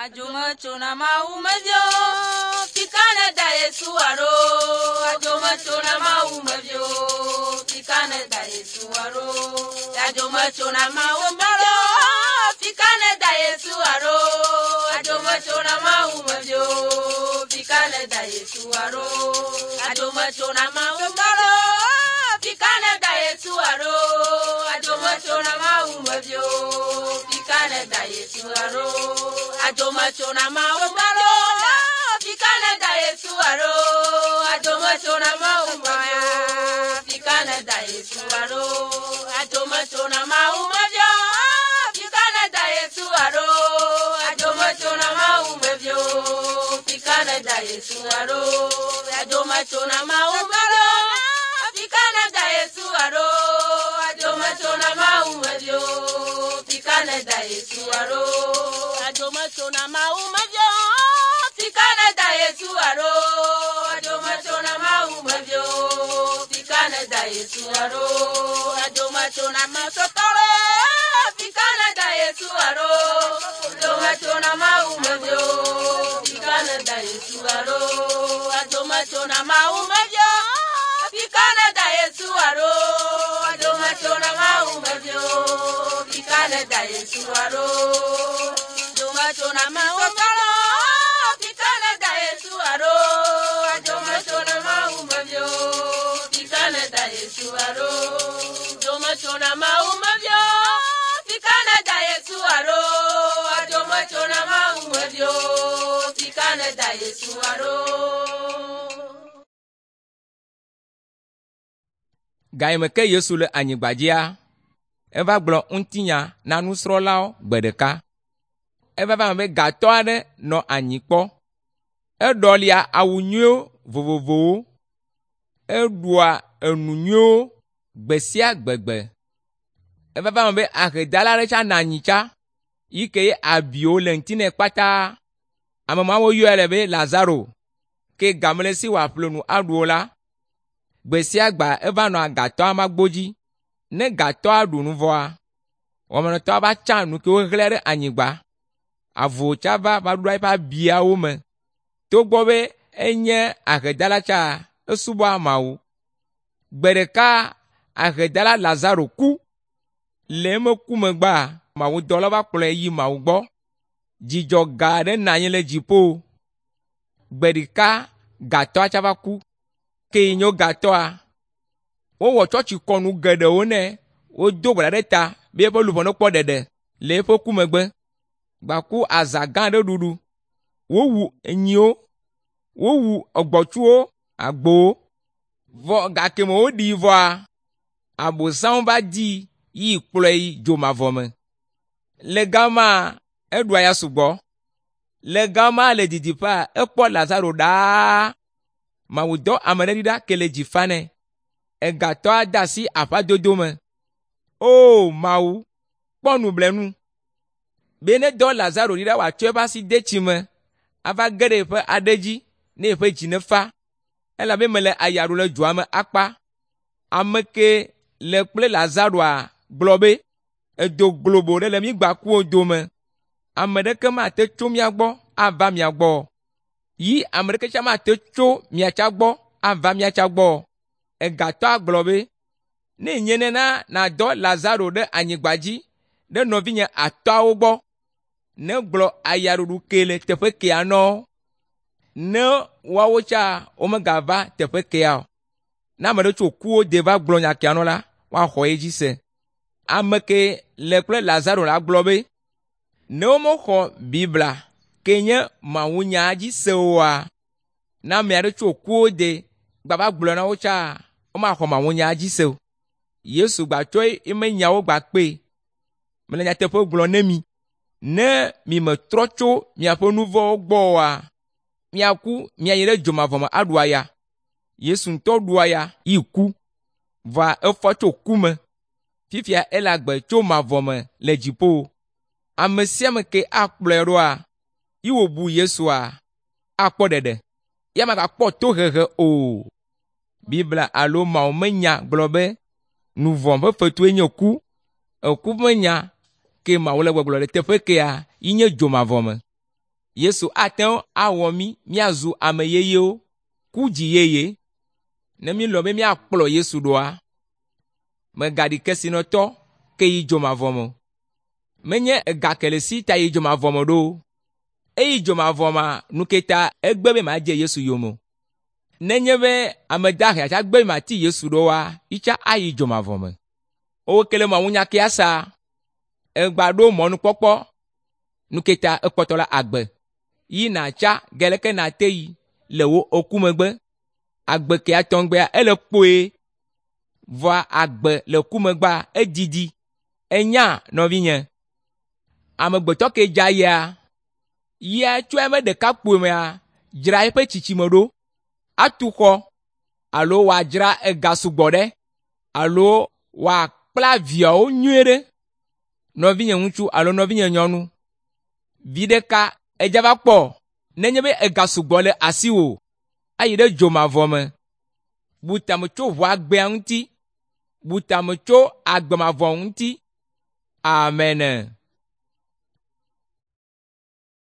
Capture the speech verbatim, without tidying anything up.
Adzometsona Mawu mevio, fika ne da Yesu alo. Adzometsona Mawu mevio, fika ne da Yesu alo. Adzometsona Mawu mevio, fika ne da Yesu alo. Adzometsona Mawu mevio, fika ne da Yesu alo. Adzometsona Mawu mevio, fika ne da Yesu alo. Adzometsona Mawu mevio, fika ne da Yesu alo. Adzometsona Mawu mevio, fika ne da Yesu alo. Adzometsona Mawu mevio, fika ne da Yesu alo. Adzometsona Mawu mevio, fika ne da Yesu alo. Adzometsona Mawu mevio, fika ne da Yesu alo. Adzometsona Mawu mevio, fika ne da Yesu alo. Adzometsona Mawu mevio, fika ne da Yesu alo. Adzometsona Mawu mevio, fika ne da Yesu alo. Adzometsona Mawu mevio, fika ne da Yesu alo. Adzometsona Mawu sɔtɔle, fika ne da Yesu alo. Adzometsona Mawu mevio, fika ne da Yesu alo. Adzometsona Mawu mevio, fika ne da Yesu alo. Adzometsona Mawu mevio, fika ne da Yesu alo. Adzometsona Mawu mevio, fika ne da Yesu alo. Adzometsona Mawu mevio, fika ne da Yesu alo. Adzometsona Mawu mevio, fika ne da Yesu alo. Adzometsona Mawu mevio, fika ne da Yesu alo. Gayime ke Yesu le anyigba dzia, eva gblɔ ŋutinya na nusrɔ̃lawo gbe ɖeka. Eva va eme be gatɔ aɖe nɔ anyi kpɔ. Eɖɔlia awu nyuiwo vovovowo. Eɖua enu nyuiwo gbe sia gbegbe. Eva va eme be ahedala aɖe tsã nɔ anyi tsã yi ke ye abiwo le ŋuti nɛ kpata. Ame mawo yɔe le be Lazaro ke game le esi wòaƒle nu aɖu o la, gbe sia gbea eva nɔa gatɔa magbo dzi. Ne gatɔa ɖu nu vɔa, wɔmenɔtɔa va tsa nu ke wohlẽ ɖe anyigba. Avuwo tsã va va ɖoa eƒe abiawo me. Togbɔ be enye ahedala tsã, esubɔa Mawu. Gbe ɖeka ahedala Lazaro ku. Le eme ku megbea, mawudɔlawo va kplɔe yi Mawu gbɔ. Dzidzɔ gã aɖe nɔ anyi le dziƒo. Gbe ɖeka gatɔa tsã va ku. Ke yi nye gatɔa, wowɔ tsɔtsikɔnu geɖewo nɛ. Wodo gbe ɖa ɖe ta be eƒe luʋɔ nekpɔ ɖeɖe le eƒe ku megbe. Gbaku azã gã aɖe ɖuɖu. Wowu nyiwo, wowu gbɔ̃tsuwo, agbowo. Vɔ gake me woɖii vɔa, Abosam va dii yi kplɔe yi dzomavɔ me. Le gama eɖua ya sugbɔ. Le gama le didiƒea, ekpɔ Lazaro ɖaa. Mawu dɔ ame ɖe ɖi ɖa ke le dzi fa nɛ. Egatɔa de asi aƒadodo me. O Mawu, kpɔ nublanu be ne dɔ Lazaro ɖi ɖa wòatsɔ eƒe asi de tsi me ava ge ɖe eƒe aɖe dzi ne eƒe dzi nefa elabe mele aya ɖum le dzoa me akpa. Ame ke le kple Lazaroa gblɔ be, “Edo globo ɖe le mí gbakuwo dome. Ame ɖeke mate tso mía gbɔ ava mia gbɔ o. Yi ame ɖeke tsã mate tso mia tsã gbɔ ava mía tsã gbɔ o.” Egatɔa gblɔ be, “Ne nye nena nàdɔ Lazaro ɖe anyigba dzi ɖe nɔvinye atɔ̃awo gbɔ, ne gblɔ ayaɖuɖu ke le teƒe kea nɔ ne woawo tsã womegava teƒe kea o. Ne ame ɖe tso kuwo de va gblɔ nya kea nɔ la, woaxɔ edzi se.” Ame ke le kple Lazaro la gblɔ be, “Ne womexɔ Biblia ke nye mawunya dzi se oa, ne ame aɖe tso kuwo de gbava gblɔe na wo tsã, womaxɔ mawunya dzi se o.” Yesu gbatsɔ eme nyawo gbakpee. Mele nyateƒe gblɔm ne mi, ne mimetrɔ tso miaƒe nu vɔ̃wo gbɔ oa, miaku miayi ɖe dzomavɔ me aɖu aya. Yesu ŋutɔ ɖu aya yi ku, vɔa efɔ tso ku me. Fifia ele agbe tso mavɔ me le dziƒo. Ame sia ame ke akplɔe ɖoa, yi wòbu Yesua, akpɔ ɖeɖe. Ya magakpɔ tohehe o. Biblia alo Mawu me nya gblɔ be nu vɔ̃ ƒe fetue nye ku. Eku ƒe nya ke Mawu le gbɔgblɔ le teƒe kea yi nye dzomavɔ me. Yesu ate ŋu awɔ mí míazu ame yeyewo, ku dzi yeye. Ne mílɔ̃ be míakplɔ Yesu ɖoa, mègaɖi kesinɔtɔ ke yi dzomavɔ me o. Menye ega ke le si ta yi dzomavɔ me ɖo o. Eyi dzomavɔ mea, nu ke ta egbe be madze Yesu yome o. Nenye be ame dahe tsa gbe be mati Yesu ɖoa, yitsa ayi dzomavɔ me. Wowo ke le mawunya kea sa, egba ɖo mɔnukpɔkpɔ nu ke ta ekpɔtɔ le agbe. Yi nàtsa ge leke nàte yi le wò eku megbe. Agbe kea tɔŋgbea ele kpoe, vɔa agbe le ku megbea edidi. Enya nɔvinye, amegbetɔ ke dza yia, yia tso eme ɖekakpui mea, dzra eƒe tsitsime ɖo, atu xɔ alo wòadzra ega sugbɔ ɖe alo wòakpla viawo nyuie ɖe. Nɔvinye ŋutsu alo nɔvinye nyɔnu, vi ɖeka edza va kpɔ nenye be ega sugbɔ le asiwò ayi ɖe dzomavɔ me. Bu tame tso ʋua gbea ŋuti, bu tame tso agbemavɔ ŋuti. Amen.